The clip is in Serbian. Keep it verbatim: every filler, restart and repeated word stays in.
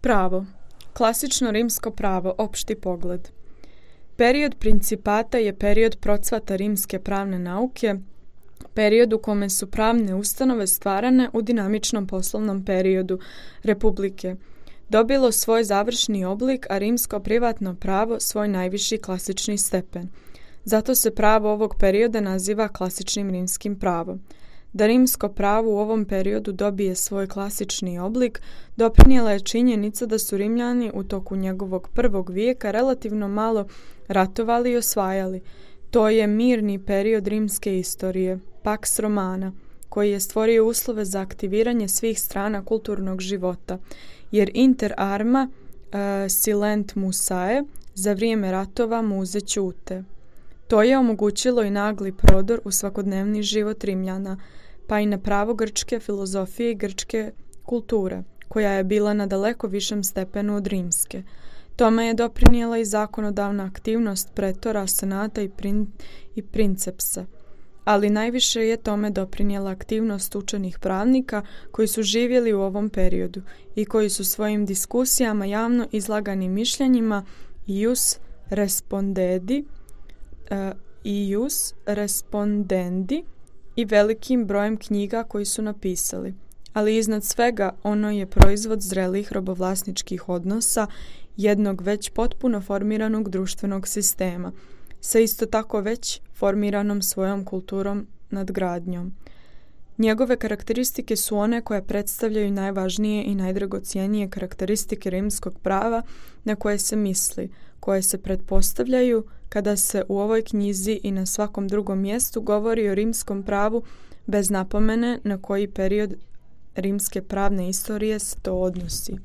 Pravo. Klasično rimsko pravo, opšti pogled. Period principata je period procvata rimske pravne nauke, period u kome su pravne ustanove stvarane u dinamičnom poslovnom periodu Republike, dobilo svoj završni oblik, a rimsko privatno pravo svoj najviši klasični stepen. Zato se pravo ovog perioda naziva klasičnim rimskim pravom. Da rimsko pravo u ovom periodu dobije svoj klasični oblik, doprinijela je činjenica da su Rimljani u toku njegovog prvog vijeka relativno malo ratovali i osvajali. To je mirni period rimske istorije, Pax Romana, koji je stvorio uslove za aktiviranje svih strana kulturnog života, jer inter arma uh, silent musae, za vrijeme ratova muze ćute. To je omogućilo i nagli prodor u svakodnevni život Rimljana, pa i na pravo grčke filozofije i grčke kulture, koja je bila na daleko višem stepenu od rimske. Tome je doprinijela i zakonodavna aktivnost pretora, senata i, prin, i princepsa. Ali najviše je tome doprinijela aktivnost učenih pravnika koji su živjeli u ovom periodu i koji su svojim diskusijama javno izlaganim mišljenjima ius respondedi, uh, ius respondendi i velikim brojem knjiga koji su napisali. Ali iznad svega ono je proizvod zrelih robovlasničkih odnosa jednog već potpuno formiranog društvenog sistema, sa isto tako već formiranom svojom kulturom nadgradnjom. Njegove karakteristike su one koje predstavljaju najvažnije i najdragocijenije karakteristike rimskog prava na koje se misli, koje se pretpostavljaju kada se u ovoj knjizi i na svakom drugom mjestu govori o rimskom pravu bez napomene na koji period rimske pravne istorije se to odnosi.